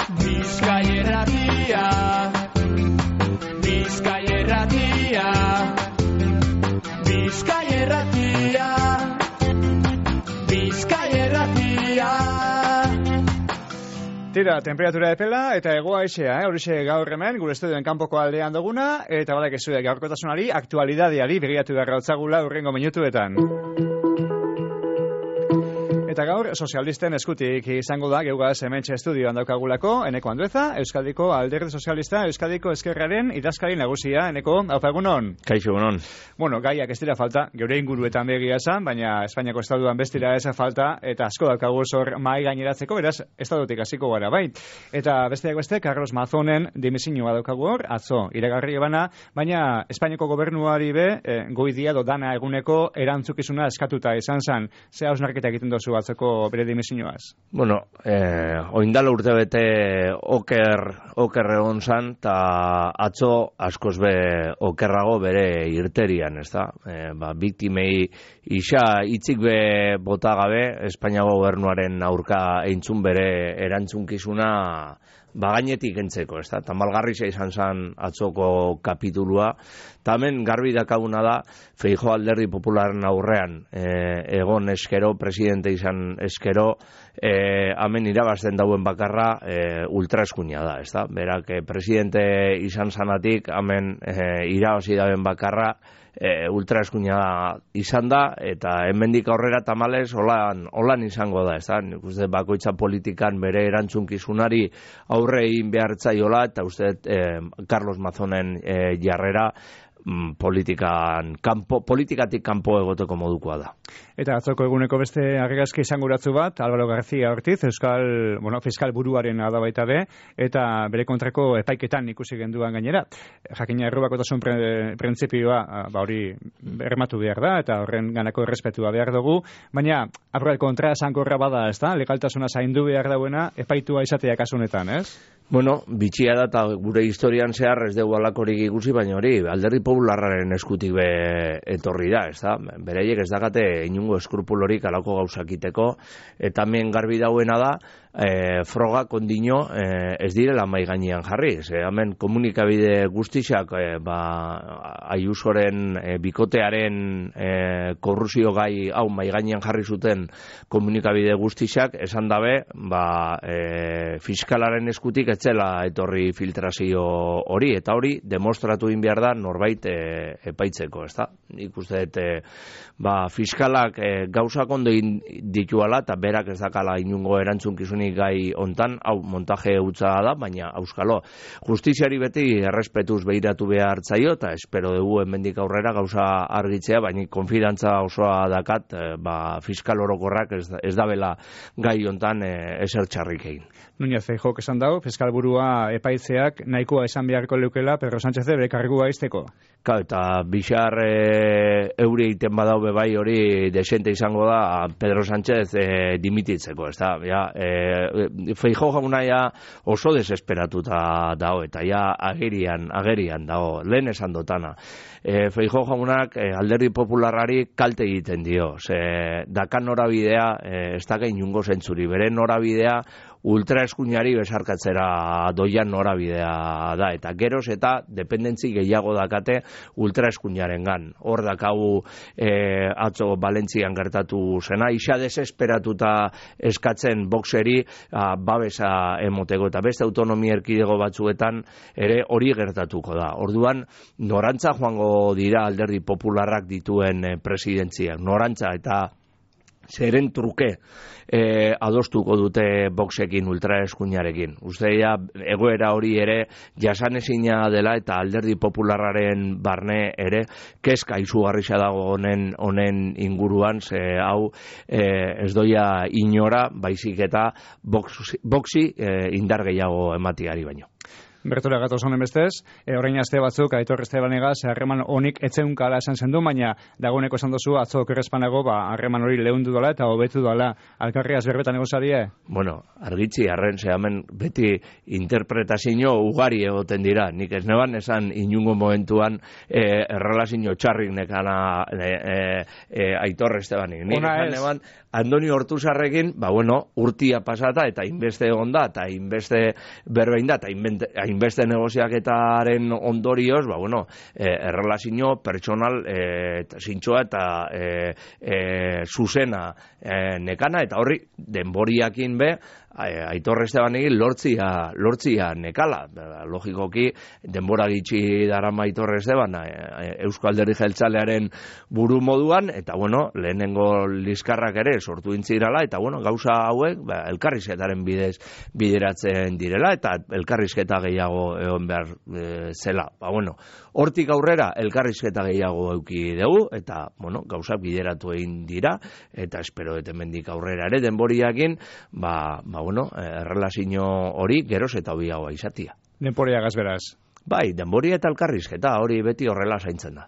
Bizkai Irratia, Bizkai Irratia, Bizkai Irratia, Bizkai Irratia. Tira, temperatura epela eta egoa isea, horixe gaur hemen, gure estudioen kanpoko aldean duguna, eta balak ezude gaurkotasunari, aktualidadeari begiratu beharra otzagula urrengo minutuetan. Eta gaur, sozialisten eskutik izango da, geugaz hementxe estudioan daukagulako, Eneko Andueza, Euskadiko Alderdi Sozialista, Euskadiko Ezkerraren idazkari nagusia, Eneko, haupa egunon? Kaixo, egunon. Bueno, gaiak ez dira falta, geure inguruetan begia esan, baina Espainiako estaduan bestira ez falta, eta asko daukagu zor mai gaineratzeko, beraz, estadutik hasiko gara, bai. Eta besteak beste, Carlos Mazonen dimisioa daukagu hor, atzo, iragarri ebana, baina Espainiako gobernuari be, goidia dana eguneko erantzukizuna eskatuta izan zen, ze hausnarketa egiten dozu atzeko bere dimisioaz? Bueno, oindala urte bete oker egon zan, eta atzo askoz be okerrago bere irterian, ez da? Biktimei isa hitzik be bota gabe, Espainiako gobernuaren aurka eintzun bere erantzunkizuna bagainetik entzeko, ez da? Tamalgarria izan zen atzoko kapitulua, tamen garbi dakaguna da, Feijóo Alderdi Popularren aurrean egon eskero, presidente izan eskero, hemen irabazten dauen bakarra ultraeskuina da, ez da? Berak presidente izan zanatik, hemen irabazi dauen bakarra, ultraeskuina izan da, eta hemendik aurrera tamales holan izango da, ez da? Nik uste bakoitza politikan bere erantzunkizunari aurre egin behartzaiola, eta uste Carlos Mazonen jarrera politikatik kanpo egoteko modukoa da. Eta atzoko eguneko beste argazki izanguratzu bat, Álvaro García Ortiz, fiskal buruaren da baita be, eta bere kontrako epaiketan ikusi genduan gainera. Jakina errubakotasun printzipioa hori bermatu behar da, eta horren ganako errespetua behar dugu, baina aurral kontra esankorra bada, ez da? Legaltasuna zaindu behar dauena epaitua izatea kasunetan, ez? Bueno, bitxia da, eta gure historian zehar ez dugu alakorik ikusi, baina hori, Alderdi Popularraren eskutik be etorri da, ez da? Bereiek ez dakate inungo eskrupulorik alako gauzakiteko, eta hemen garbi dauena da, froga kondino ez direla mai gainean jarri. Hemen komunikabide guztiak Ayusoren bikotearen korrupzio gai hau mai gainean jarri zuten komunikabide guztiak esan dabe fiskalaren eskutik etzela etorri filtrazio hori, eta hori demostratu egin behar da norbait epaitzeko, ez da? Nik uste fiskalak gauzak ondo dituala eta berak ez dakala inungo erantzunkizunik gai hontan, hau montaje hutsa da, baina auskalo justiziari beti errespetuz behiratu behar zaio, eta espero dugu hemendik aurrera gauza argitzea, baina konfidantza osoa dakat fiskal orokorrak ez dabela gai hontan ezer txarrik egin. Núñez Feijóok esan dago, fiskal burua epaitzeak nahikoa esan beharko leukela Pedro Sánchez bere kargua izteko. Eta bixar euri egiten badau bai hori desente izango da Pedro Sánchez dimititzeko, ez da? Feijóo jauna oso desesperatuta dago, eta agerian dago, lehen esan dotana. Feijóo jaunak Alderdi Popularrari kalte egiten dio, dakan norabidea ez da inungo zentzuri, bere norabidea ultraeskuinari besarkatzera doian norabidea da, eta geroz eta dependentzi gehiago dakate ultraeskuinarengan. Hor dakagu atzo Valentzian gertatu zena, isa desesperatuta eskatzen boxeri babesa emoteko, eta beste autonomia erkidego batzuetan ere hori gertatuko da. Orduan, norantza joango dira Alderdi Popularrak dituen presidentziak, norantza, eta zeren truke adostuko dute boxekin, ultraeskuinarekin. Usteia egoera hori ere jasanezina dela, eta Alderdi Popularraren barne ere kezka izugarria dago honen inguruan, hau ez doia inora, baizik eta boxi indar gehiago ematiari baino. Bertura gatoz honen bestez, orain aste batzuk, Aitor Estebanegaz, harreman honik etzeunkala esan zendu, baina dagoeneko esan dozu, atzo okerrezpanago, harreman hori leundu dela eta hobetu dela alkarriaz berbetan egozadie? Bueno, argitzi, arren zehamen beti interpretazio ugari egoten dira. Nik ez neban esan inungo momentuan errelazio txarrik nekana Aitor Estebanik. Nik esan neban Andoni Hortuzarrekin, urtia pasata eta inbeste egon da, eta inbeste berbein da, eta inbeste negoziaketaren ondorioz, errelazio pertsonal zintxoa eta zuzena nekana, eta horri denboriakin be, Aitor Estebanekin lortzia nekala. Logikoki, denbora gitxi darama Aitor Esteban Eusko Alderdi Jeltzalearen buru moduan, eta lehenengo liskarrak ere sortu intzirala, eta gauza hauek elkarrizketaren bidez bideratzen direla, eta elkarrizketa gehiago egon behar zela. Hortik aurrera elkarrizketa gehiago euki dugu, eta gauzak bideratu egin dira, eta espero hemendik aurrera ere denboriakin, errelazio hori geroz eta hobiagoa izatia. Denboriagaz beraz. Bai, denboria eta elkarrizketa hori beti horrela zaintzen da.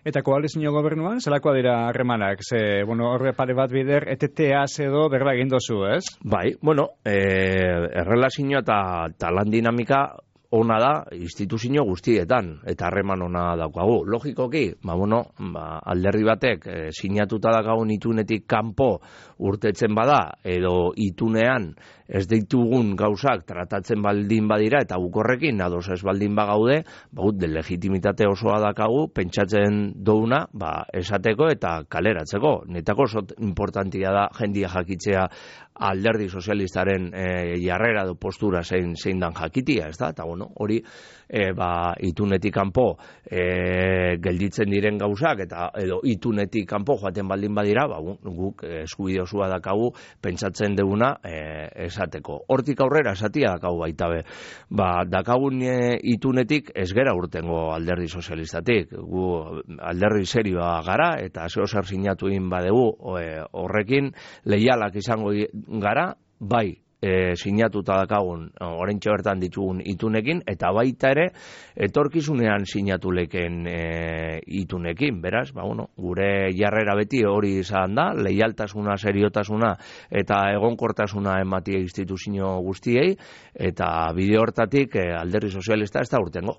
Eta koalizio gobernuan, zelakoa dira harremanak? Horre pare bat bider, eteteaz edo berba egin dozu, ez? Bai, errelazio eta lan dinamika ona da instituzio guztietan, eta harreman ona daukagu. Logikoki, alderdi batek sinatuta daukagun itunetik kanpo urtetzen bada, edo itunean ez ditugun gauzak tratatzen baldin badira, eta bukorrekin ados ez baldin bagaude, legitimitate osoa daukagu, pentsatzen douna, esateko eta kaleratzeko. Netako oso importantia da jendia jakitzea alderdi sozialistaren jarrera edo postura zein dan jakitia, ez da? Eta hori itunetik kanpo gelditzen diren gauzak edo itunetik kanpo joaten baldin badira, guk eskubide osoa daukagu pentsatzen duguna esateko. Hortik aurrera esatia daukagu baita be. Daukagun itunetik ez gera urtengo alderdi sozialistatik. Gu alderdi serioa gara eta zeo zer sinatu egin badegu horrekin leialak izango gara, bai sinatuta dakagun oraintxe bertan ditugun itunekin, eta baita ere etorkizunean sinatu leken itunekin. Beraz, gure jarrera beti hori izan da, leialtasuna, seriotasuna eta egonkortasuna ematie instituzio guztiei, eta bide hortatik alderdi sozialista ez da urtengo.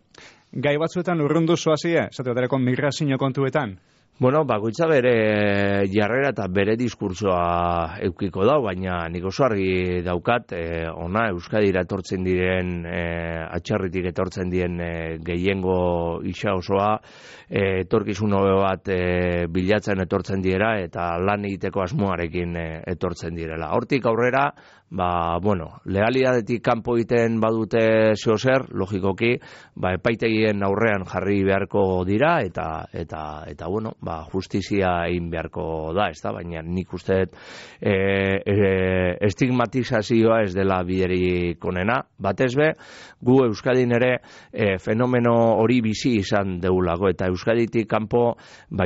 Gai batzuetan urrundu zoazie, zateatareko migrazio kontuetan? Bakoitza bere jarrera eta bere diskursoa eukiko da, baina nik oso argi daukat, ona Euskadira etortzen diren, atxarritik etortzen diren gehiengo isa osoa, etorkizun hobe bat bilatzen etortzen direla, eta lan egiteko asmoarekin etortzen direla. Hortik aurrera, legalidadetik kanpo egiten badute zeozer, logikoki, epaitegien aurrean jarri beharko dira, eta justizia egin beharko da, ez da? Baina nik uste estigmatizazioa ez dela biderik onena. Batez be, gu Euskadin ere fenomeno hori bizi izan deulako, eta Euskaditik kanpo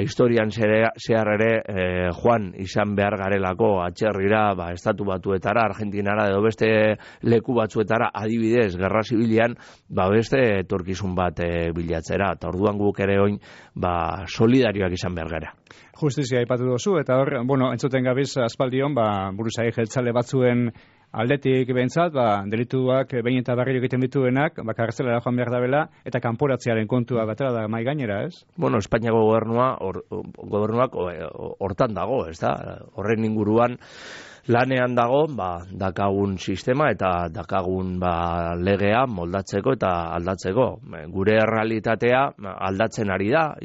historian zehar ere joan izan behar garelako atxerrira, estatu batuetara, Argentinara edo beste leku batzuetara, adibidez, gerra zibilian, beste etorkizun bat bilatzera, eta orduan guk ere oin solidarioak izan behar gara. Justizia aipatu dozu, eta hor, entzuten gabiz aspaldion, buruzai jeltzale batzuen aldetik behintzat, delituak behin eta berriro egiten dituenak, kartzelara joan behar dabela, eta kanporatzearen kontua batera da mai gainera, ez? Espainiako gobernuak hortan dago, ez da? Horren inguruan lanean dago, dakagun sistema eta dakagun legea moldatzeko eta aldatzeko. Gure errealitatea aldatzen ari da,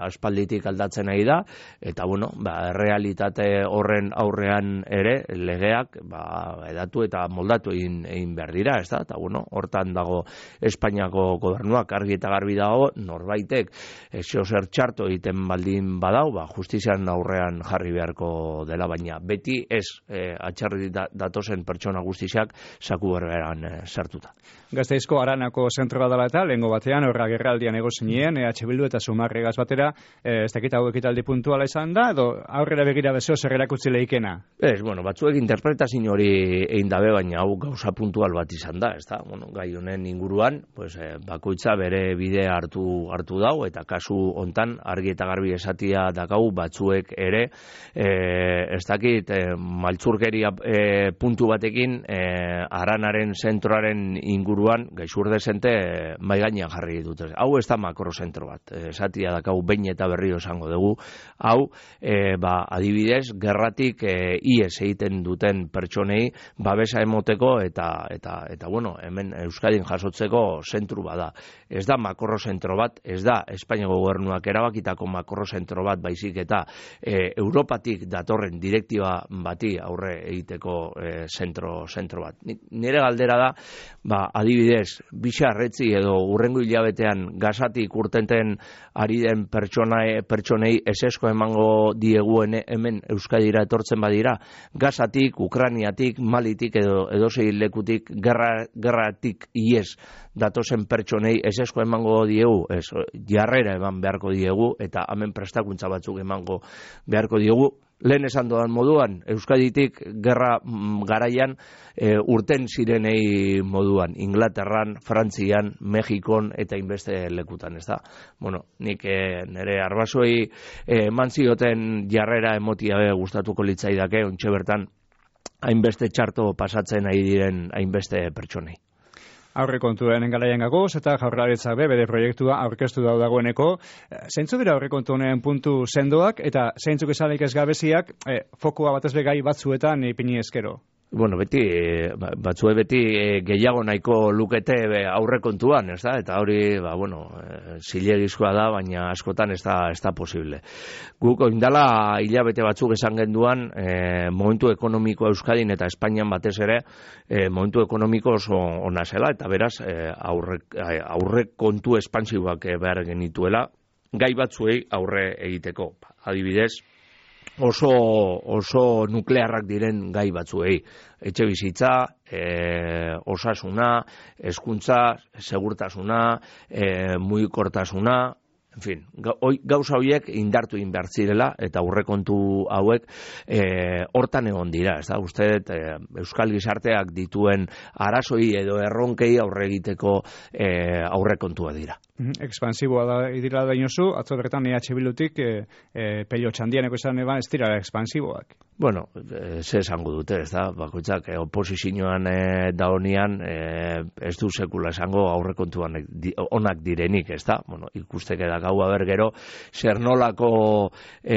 aspalditik aldatzen ari da, eta errealitate horren aurrean ere legeak edatu eta moldatu egin behar dira, ez da? Eta hortan dago Espainiako gobernuak argi eta garbi dago, norbaitek zer txarto egiten baldin badau, justizian aurrean jarri beharko dela, baina beti ez atxarri datozen pertsona guztiak zaku berberan sartuta. Gasteizko Aranako zentroa dela eta lehengo batean horra gerraldian egozinen, EH Bildu eta Zumarregaz batera, ez dakit hau ekitaldi puntuala izan da, edo aurrera begira bezeo zer erakutsi lehikena? Batzuek interpretazio hori egin dabe, baina hau gauza puntual bat izan da, ez da? Gai honen inguruan, bakoitza bere bide hartu dau, eta kasu hontan argi eta garbi esatia dakau batzuek ere, ez dakit, maltzurkeria puntu batekin, Aranaren zentroaren inguruan gaixur dezente mai gainean jarri dute. Hau ez da makrozentro bat. Esatia dakau behin eta berriro esango dugu. Hau, adibidez, gerratik ies egiten duten pertsonei babesa emoteko eta hemen Euskadin jasotzeko zentru bada. Ez da makrozentro bat, ez da Espainiako gobernuak erabakitako makrozentro bat, baizik eta Europatik datorren direktiba bati aurre egiteko zentro bat. Nire galdera da, adibidez, bixarretzi edo urrengo hilabetean gazatik urtenten ari den pertsonei esesko emango diegu hemen Euskadira etortzen badira, gazatik, Ukraniatik, Malitik edo edozein lekutik gerratik ies datozen pertsonei esesko emango diegu, jarrera eman beharko diegu eta hemen prestakuntza batzuk emango beharko diegu. Lehen esan doan moduan, Euskaditik gerra garaian urten zirenei moduan, Inglaterran, Frantzian, Mexikon eta inbeste lekutan, ez da? Nik nire arbasoei eman zioten jarrera emotia gustatuko litzaidake, ontxe bertan hainbeste txarto pasatzen ari diren hainbeste pertsonei. Aurrekontuen garaian gagoz eta Jaurlaritzak bere proiektua aurkeztu dagoeneko. Zeintzuk dira aurrekontu honen puntu sendoak eta zeintzuk izalik ez gabeziak fokua batez gai batzuetan ipini eskero? Batzue beti gehiago nahiko lukete aurrekontuan, ez da? Eta hori, zilegizkoa da, baina askotan ez da posible. Guk oindala hilabete batzuk esan genduan, momentu ekonomiko Euskadin eta Espainian batez ere, momentu ekonomiko oso ona zela, eta beraz, aurrekontu espansiboak behar genituela, gai batzuei aurre egiteko. Adibidez, oso nuklearrak diren gai batzuei. Etxe bizitza, osasuna, hezkuntza, segurtasuna, mugikortasuna, en fin, gauza horiek indartu behar zirela eta aurrekontu hauek hortan egon dira, ez da? Uste Euskal Gizarteak dituen arazoi edo erronkei aurre egiteko aurrekontua dira. Expansiboa da idila da inozu, atzo bertan EH Bildutik pello txandianeko izan eban ez dira expansiboak. Ze esango dute, ez da? Bakoitzak oposizioan daonian ez du sekula esango aurrekontuan onak direnik, ez da? Ikusteke da gau gero zer nolako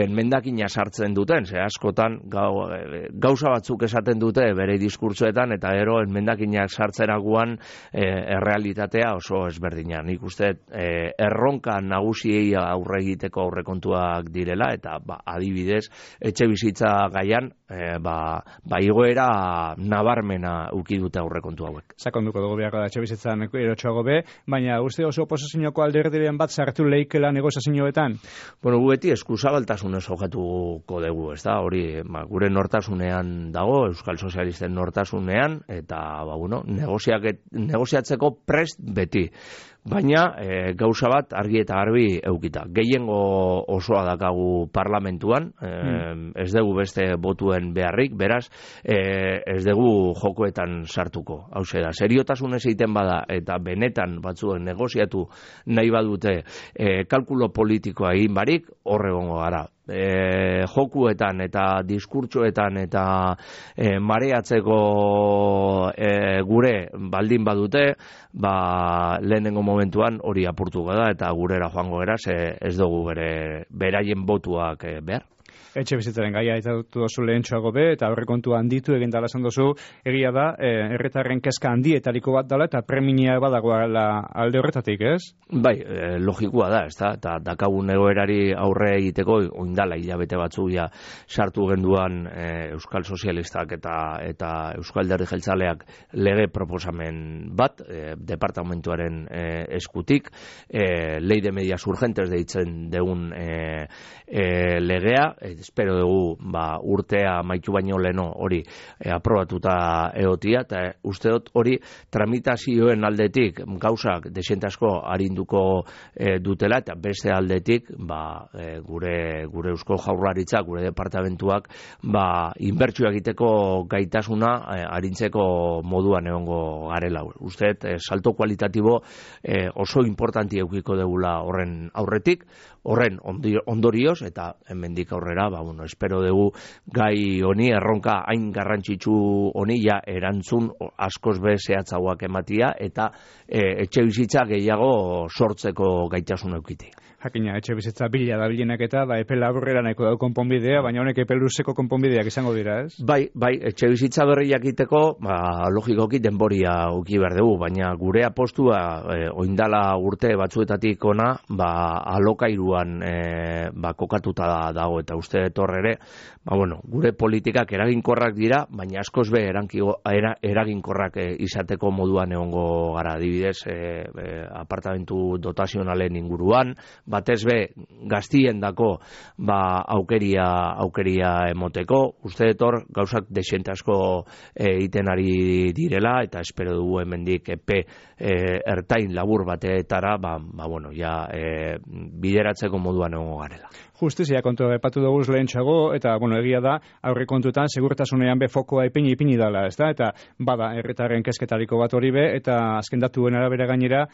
mendakina sartzen duten, ze askotan gauza batzuk esaten dute bere diskurtsoetan eta gero mendakinak sartzeraguan errealitatea oso ezberdina. Nik uste erronka nagusiei aurre egiteko aurrekontuak direla eta adibidez etxe bizitza gaian igoera nabarmena uki dute aurrekontu hauek. Sakonduko dugu beharko da etxe bizitzan erotxoago baina uste oso oposizioko alderdiren bat sartu leikela negoziazioetan? Gu beti eskuzabaltasunez jokatuko dugu, ez da? Hori gure nortasunean dago, Euskal Sozialisten nortasunean, eta negoziatzeko prest beti. Baina gauza bat argi eta garbi eukita. Gehiengo osoa dakagu parlamentuan, ez dugu beste botuen beharrik, beraz, ez dugu jokoetan sartuko. Hauxe da, seriotasunez egiten bada eta benetan batzuen negoziatu nahi badute kalkulo politikoa egin barik, horregongo gara. Jokuetan eta diskurtsoetan eta mareatzeko gure baldin badute, lehenengo momentuan hori apurtuko da eta gurera joango gara, ez dugu beraien botuak behar. Etxe bizitzaren gaia eta duzu lehentxoago eta aurrekontu handitu egin dala esan duzu, egia da, herritarren kezka handietariko bat dela eta premia badagoela alde horretatik, ez? Bai, logikoa da, ez da, eta dakagun egoerari aurre egiteko, oindala hilabete batzu sartu genduan Euskal Sozialistak eta Euskal Alderdi Jeltzaleak lege proposamen bat, departamentuaren eskutik, ley de medidas urgentes deitzen deun legea, espero dugu urtea amaitu baino leno hori aprobatuta egotia, eta uste dut hori tramitazioen aldetik gauzak desente asko arinduko dutela, eta beste aldetik gure Eusko Jaurlaritza, gure departamentuak inbertsio egiteko gaitasuna arintzeko moduan egongo garela. Uste dut salto kualitatibo oso importanti eukiko degula horren aurretik, horren ondorioz, eta hemendik aurrera, espero dugu gai honi, erronka hain garrantzitsu honi erantzun askoz be zehatzagoak ematia, eta etxe bizitza gehiago sortzeko gaitasun eukiti. Jakina, etxe bizitza bila da bilenak eta epe laburrera nahiko dago konponbidea, baina honek epe luzeko konponbideak izango dira, ez? Bai, etxe bizitza berriak egiteko, logikoki denboria uki behar dugu, baina gure apostua oindala urte batzuetatik ona, alokairuan kokatuta dago, eta uste etor ere, gure politikak eraginkorrak dira, baina askoz be eraginkorrak izateko moduan egongo gara, adibidez, apartamentu dotazionalen inguruan, batez be gaztien dako aukeria emoteko, uste etor gauzak desente asko egiten ari direla, eta espero dugu hemendik epe ertain labur bateetara bideratzeko moduan egongo garela. Justizia kontu epatu dugu lehentxago, eta egia da, aurre kontutan, segurtasunean be fokoa ipini dala, ez da? Eta herritarren kezketariko bat hori be, eta azken datuen arabera gainera,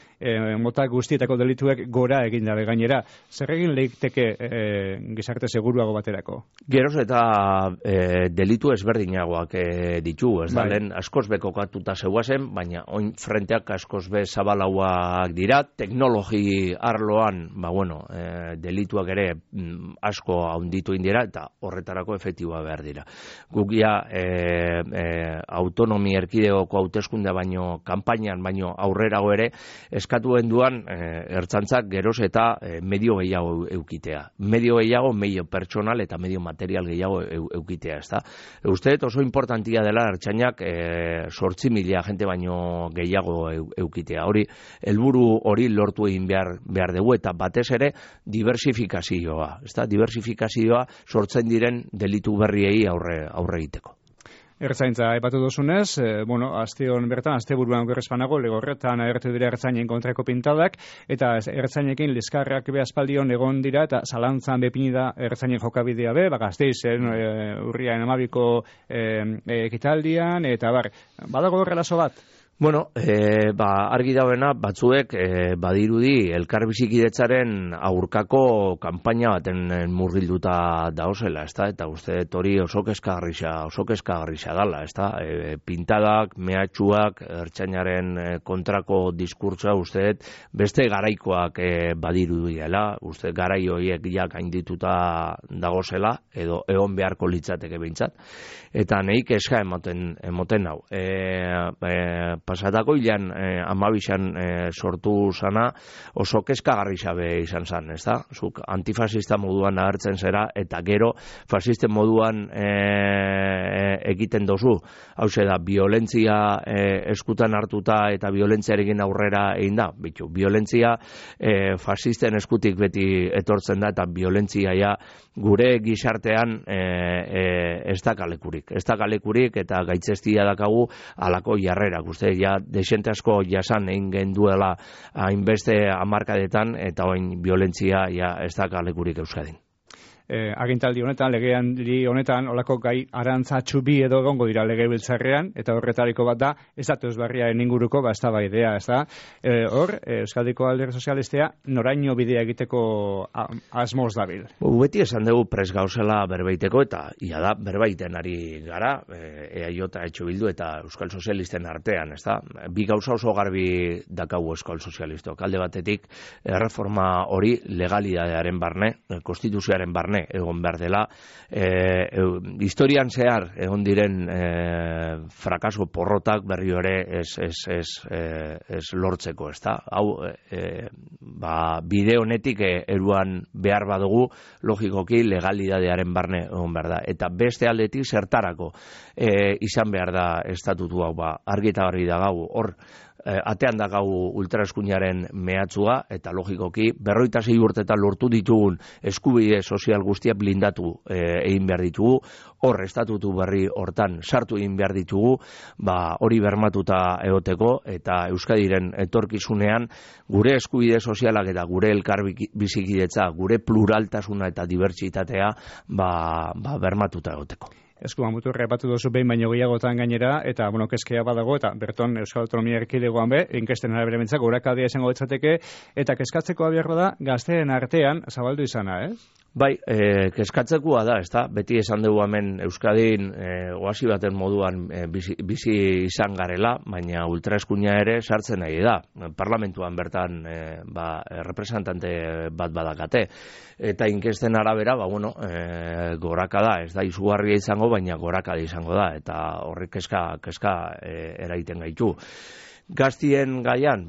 mota guztietako delituek gora egin dabe gainera. Zer egin leiteke gizarte seguruago baterako? Geroz eta delitu ezberdinagoak ditugu, ez da? Lehen askoz be kokatuta zeuazen, baina oin frenteak askoz be zabalauak dira, teknologi arloan, delituak ere asko haunditu indira, eta horretarako efektiboa behar dira. Guk autonomi erkidegoko hauteskundea baino kanpainan baino aurrerago ere eskatuen duan ertzaintzak geroz eta medio gehiago eukitea. Medio gehiago, medio pertsonal eta medio material gehiago eukitea, ezta? Uste oso importantia dela ertzainak 8.000 jente baino gehiago eukitea. Hori, helburu hori lortu egin behar dugu, eta batez ere diversifikazioa. Diversifikazioa sortzen diren delitu berriei aurre egiteko. Ertzaintza aipatu duzunez, asteon bertan, asteburuan gerrespanago, lego horretan agertu dira ertzainen kontrako pintadak, eta ertzainekin liskarrak be aspaldion egon dira, eta zalantzan bepini da ertzainen jokabidea be, Gasteizen, urriaren 12ko ekitaldian, eta badago horrelazo bat? Argi dauena batzuek badirudi elkarbizikidetzaren aurkako kanpaina baten murgilduta dauzela, eta uste hori oso kezkagarria dala, pintadak, mehatxuak, ertzainaren kontrako diskurtsoa uste beste garaikoak badirudiela, uste garai horiek gaindituta dagozela, edo egon beharko litzateke behintzat, eta neik kezka emoten hau. Pasatako hilan 12an sortu zana oso kezkagarria be izan zan, ez da? Zuk antifasista moduan agertzen zera, eta gero fasisten moduan egiten dozu. Hauxe da, violentzia eskutan hartuta eta violentziarekin aurrera egin da. Violentzia fasisten eskutik beti etortzen da, eta violentzia gure gizartean ez da kalekurik. Ez da kalekurik, eta gaitzestia dakagu alako jarrerak. Uste, desente asko jasan egin genduela hainbeste hamarkadetan, eta orain violentzia ez da kalekurik Euskadin. Agintaldi honetan, legealdi honetan, olako gai arantzatxu bi edo egongo dira legebiltzarrean, eta horretariko bat da, ez da teuzbarriaren inguruko, ez da baidea, ez da. Hor, Euskadiko Alderdi Sozialistea noraino bidea egiteko asmoz dabil. Beti esan dugu pres gauzela berbeiteko, eta ia da, berbaiten ari gara, EAJ, Etxo Bildu eta Euskal Sozialisten artean, ez da. Bi gauza oso garbi dakagu Euskal Sozialistok. Alde batetik, erreforma hori legalidadearen barne, konstituzioaren barne, egon behar dela, historian zehar egon diren frakaso porrotak berri ere ez lortzeko, ez da? Hau, bide honetik eruan behar badugu, logikoki legalidadearen barne egon behar da. Eta beste aldetik zertarako izan behar da estatutu hau, argi eta garbi da gau, hor atean dakau ultraeskuinaren mehatxua, eta logikoki 46 urtetan lortu ditugun eskubide sozial guztiak blindatu egin behar ditugu, hor estatutu berri hortan sartu egin behar ditugu, hori bermatuta egoteko, eta Euskadiren etorkizunean gure eskubide sozialak eta gure elkar bizikidetza, gure pluraltasuna eta dibertsitatea bermatuta egoteko. Eskuan muturra epatu duzu behin baino gehiagotan gainera, eta, kezkea badago, eta berton Euskal Autonomia Erkidegoan inkesten arabera bentzak, gorakadia izango ditzateke, eta kezkatzeko abiarro da, gazteen artean zabaldu izana, Bai, kezkatzekoa da, ezta? Beti esan dugu hemen Euskadin oasi baten moduan bizi izan garela, baina ultraeskuina ere sartzen nahi da. Parlamentuan bertan representante bat badakate. Eta inkesten arabera, gorakada, ez da izugarria izango, baina gorakada izango da, eta horrek kezka eraiten gaitu. Gaztien gaian,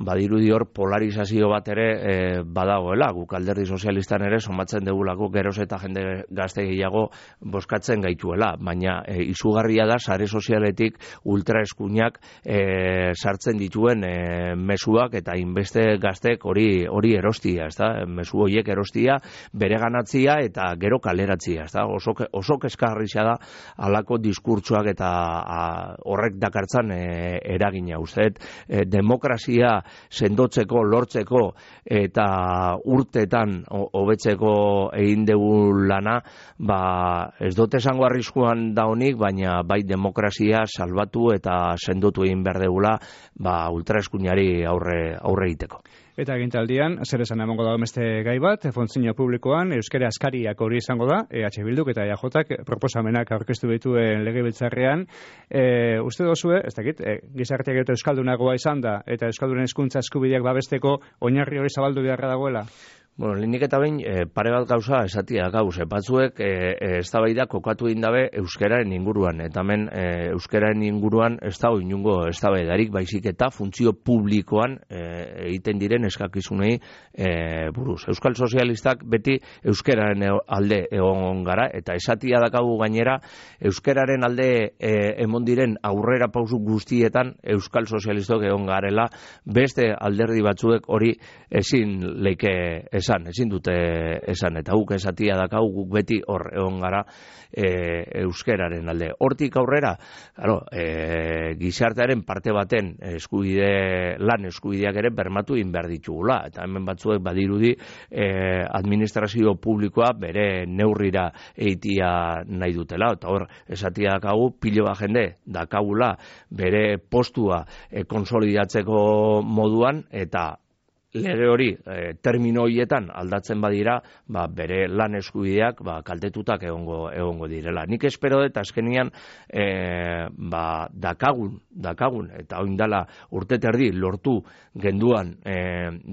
badirudi hor polarizazio bat ere badagoela, guk Alderdi Sozialistan ere somatzen degulako geroz eta jende gazte gehiago bozkatzen gaituela, baina izugarria da sare sozialetik ultraeskuinak sartzen dituen mezuak eta inbeste gaztek hori erostia, ezta? Mezu horiek erostia, bereganatzia eta gero kaleratzia, ezta? Oso kezkagarria da halako diskurtsoak eta horrek dakartzan eragina uste. Demokrazia sendotzeko, lortzeko eta urtetan hobetzeko egin dugu lana, ez dut esango arriskuan da honik, baina bai demokrazia salbatu eta sendotu egin behar degula ultraeskuinari aurre egiteko. Eta egintaldian, zer esan emango da beste gai bat, funtzio publikoan, euskara askariak hori izango da, EH Bilduk eta EAJak proposamenak aurkeztu dituen legebiltzarrean. Uste dozue, ez dakit, gizarteak eta euskaldunagoa izan da, eta euskaldunen hezkuntza eskubideak babesteko oinarri hori zabaldu beharra dagoela? Lehenik eta behin, pare bat gauza esatia gauz, batzuek eztabaida kokatu egin dabe euskararen inguruan, eta hemen euskararen inguruan ez dago inungo eztabaidarik, baizik eta funtzio publikoan egiten diren eskakizunei buruz. Euskal Sozialistak beti euskararen alde egon gara, eta esatia dakagu gainera, euskararen alde emon diren aurrera pausu guztietan Euskal Sozialistok egon garela, beste alderdi batzuek hori ezin ezin dute esan, eta guk esatia dakau, guk beti hor egon gara euskeraren alde. Hortik aurrera, gizartearen parte baten lan eskubideak ere bermatu egin behar ditugula, eta hemen batzuek badirudi administrazio publikoa bere neurrira eitia nahi dutela, eta hor esatia dakagu, pilo bat jende dakagula bere postua konsolidatzeko moduan, eta lege hori termino horietan aldatzen badira, bere lan eskubideak kaltetutak egongo direla. Nik espero dut azkenian dakagun eta oindala urte terdi lortu genduan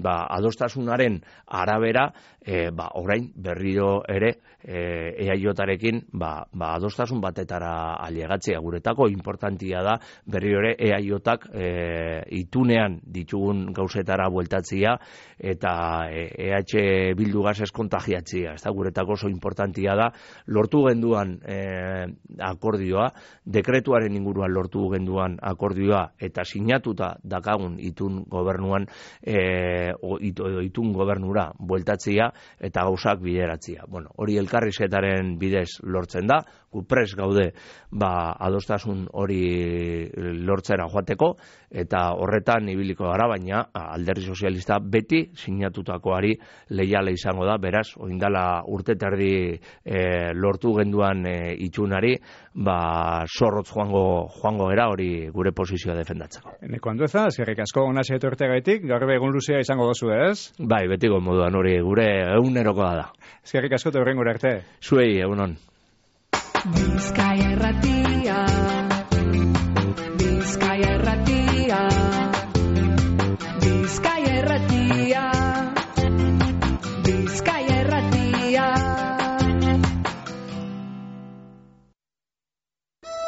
adostasunaren arabera, orain berriro ere EAJarekin adostasun batetara ailegatzea guretako importantia da berriro ere EAJak itunean ditugun gauzetara bueltatzea eta EH Bildugaz ez kontagiatzea, ez da guretako oso importantia da lortu genduan akordioa, dekretuaren inguruan lortu genduan akordioa eta sinatuta dakagun itun gobernuan itun gobernura bueltatzea eta gauzak bideratzea. Hori elkarrizketaren bidez lortzen da, gu prest gaude adostasun hori lortzera joateko eta horretan ibiliko gara, baina Alderdi Sozialista beti sinatutakoari leiale izango da, beraz, oindala urte terdi lortu genduan itxunari, zorrotz joango era hori gure posizioa defendatzeko. Neko Andueza, eskerrik asko ona etorteagaitik, gaur egun luzea izango dozu, ez? Bai, betiko moduan hori gure egunerokoa da. Eskerrik asko eta hurrengora arte. Zuei, egunon. Bizkaia Irratia